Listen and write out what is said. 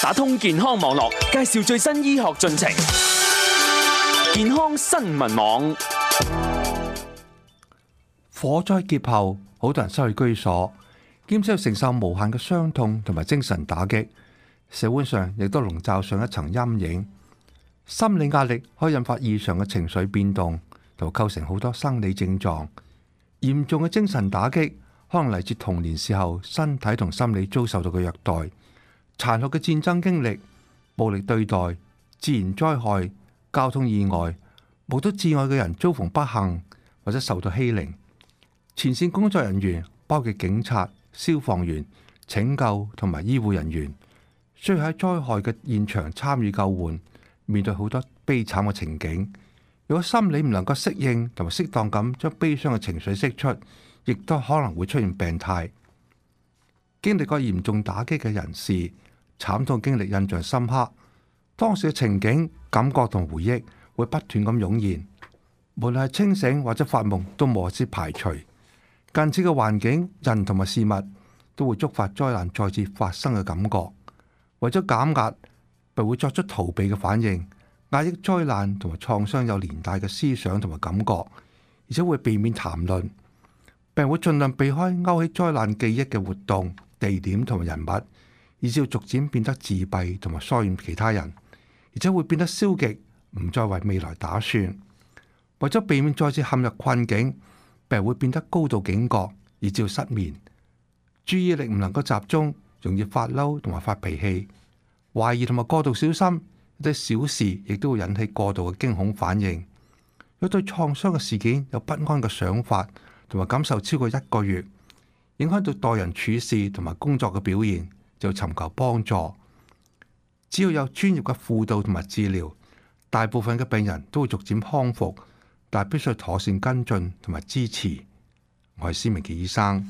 打通健康網絡，介紹最新醫學進程。健康新聞網。火災劫後，好多人失去居所，兼且要承受無限嘅傷痛同埋精神打擊，社會上亦都籠罩上一層陰影。心理壓力可以引發異常嘅情緒變動，同埋構成好多生理症狀。嚴重嘅精神打擊可能嚟自童年時候身體同心理遭受到嘅虐待、殘酷嘅戰爭經歷、暴力對待、自然災害、交通意外、目睹摯愛嘅人遭逢不幸或者受到欺凌。前線工作人員包括警察、消防員、拯救同埋醫護人員，需要喺災害嘅現場參與救援，面對好多悲慘嘅情景。如果心理唔能夠適應同埋適當咁將悲傷嘅情緒釋出，亦都可能會出現病態。經歷過嚴重打擊嘅人士，慘痛經歷印象深刻，當時嘅情景、感覺同回憶會不斷咁湧現，無論係清醒或者發夢都無法排除。近似嘅環境、人同埋事物都會觸發災難再次發生嘅感覺。為咗減壓，並會作出逃避嘅反應，壓抑災難同埋創傷有連帶嘅思想同埋感覺，而且會避免談論，並會盡量避開勾起災難記憶嘅活動、地點同埋人物，以至要逐漸變得自閉同埋疏遠其他人，而且會變得消極，唔再為未來打算。為咗避免再次陷入困境，病會變得高度警覺，以致失眠，注意力唔能夠集中，容易發嬲同埋發脾氣，懷疑同埋過度小心，一啲小事亦都會引起過度嘅驚恐反應。若對創傷嘅事件有不安嘅想法同埋感受超過1個月，影響到待人處事同埋工作嘅表現，就要尋求幫助。只要有專業嘅輔導同埋治療，大部分嘅病人都會逐漸康復，但係必須妥善跟進同埋支持。我係施明傑醫生。